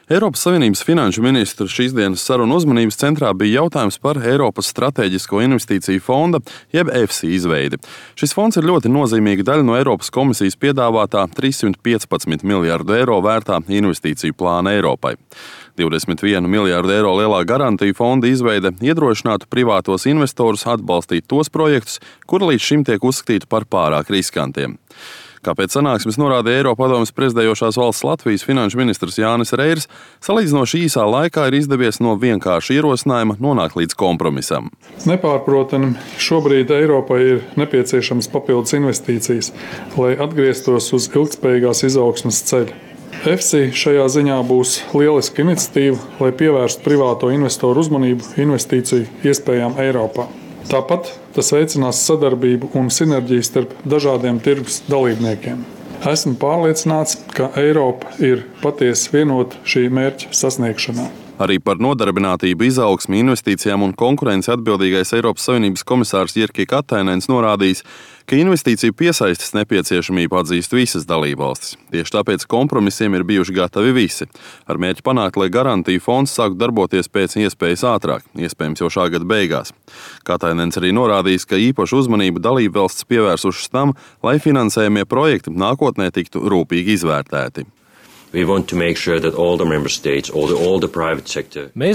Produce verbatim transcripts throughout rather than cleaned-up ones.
Eiropas Savienības finanšu ministra šīs dienas sarunu uzmanības centrā bija jautājums par Eiropas Stratēģisko investīciju fonda, jeb E F S I izveidi. Šis fonds ir ļoti nozīmīga daļa no Eiropas komisijas piedāvātā trīssimt piecpadsmit miljardu eiro vērtā investīciju plāna Eiropai. divdesmit vienu miljardu eiro lielā garantiju fonda izveide iedrošinātu privātos investorus atbalstīt tos projektus, kuri līdz šim tiek uzskatīti par pārāk riskantiem. Kāpēc sanāksmes norādīja Eiropadomes prezidējošās valsts Latvijas finanšu ministrs Jānis Reirs, salīdzinoši īsā laikā ir izdevies no vienkārša ierosinājuma nonākt līdz kompromisam. Nepārprotami, šobrīd Eiropai ir nepieciešams papildus investīcijas, lai atgrieztos uz ilgtspējīgās izaugsmes ceļa. E F S I šajā ziņā būs lieliska iniciatīva, lai pievērstu privāto investoru uzmanību investīciju iespējām Eiropā. Tāpat tas veicinās sadarbību un sinerģiju starp dažādiem tirgus dalībniekiem. Esmu pārliecināts, ka Eiropa ir patiesi vienota šī mērķa sasniegšanā. Arī par nodarbinātību, izaugsmi, investīcijām un konkurenci atbildīgais Eiropas Savienības komisārs Jyrki Katainens norādījis, ka investīciju piesaistes nepieciešamību atzīst visas dalībvalstis. Tieši tāpēc kompromisiem ir bijuši gatavi visi, ar mērķi panākt, lai garantiju fonds sāktu darboties pēc iespējas ātrāk, iespējams jau šā gada beigās. Katainens arī norādījis, ka īpašu uzmanību dalībvalstis pievērsušas tam, lai finansējamie projekti nākotnē tiktu rūpīgi izvērtēti. Mēs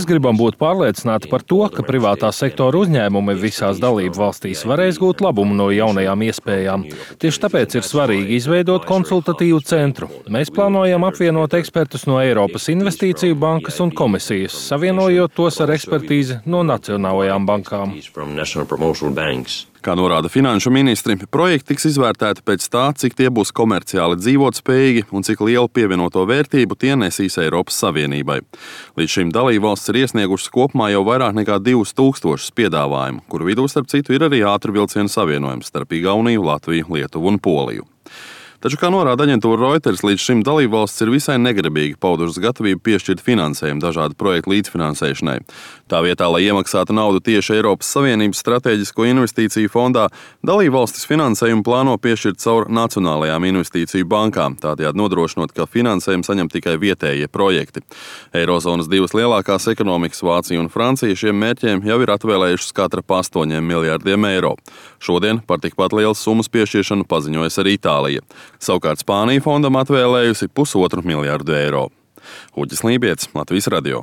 gribam būt pārliecināti par to, ka privātā sektora uzņēmumi visās dalību valstīs varēs gūt labumu no jaunajām iespējām. Tieši tāpēc ir svarīgi izveidot konsultatīvu centru. Mēs plānojam apvienot ekspertus no Eiropas Investīciju bankas un komisijas, savienojot tos ar ekspertīzi no nacionālajām bankām. Kā norāda finanšu ministri, projekti tiks izvērtēti pēc tā, cik tie būs komerciāli dzīvotspējīgi un cik lielu pievienoto vērtību tie nesīs Eiropas Savienībai. Līdz šim dalībvalstis ir iesniegušas kopumā jau vairāk nekā divus tūkstošus piedāvājumu, kuru vidū starp citu ir arī ātrvilcienu savienojums starp Igauniju, Latviju, Lietuvu un Poliju. Taču, kā norāda aģentūra Reuters, līdz šim dalībvalstis ir visai negribīgi paudušas gatavību piešķirt finansējumu dažādu projektu līdzfinansēšanai. Tā vietā, lai iemaksātu naudu tieši Eiropas Savienības Stratēģisko investīciju fondā, dalībvalstis finansējumu plāno piešķirt caur nacionālajām investīciju bankām, tādējādi nodrošinot, ka finansējumu saņem tikai vietējie projekti. Eirozonas divas lielākās ekonomikas, Vācija un Francija, šiem mērķiem jau ir atvēlējušas katra pa astoņiem miljardiem eiro. Šodien par tikpat lielas summas piešķiršanu paziņojas arī Itālija. Savukārt Spānija fondam atvēlējusi pusotru miljardu eiro. Uģis Lībietis, Latvijas radio.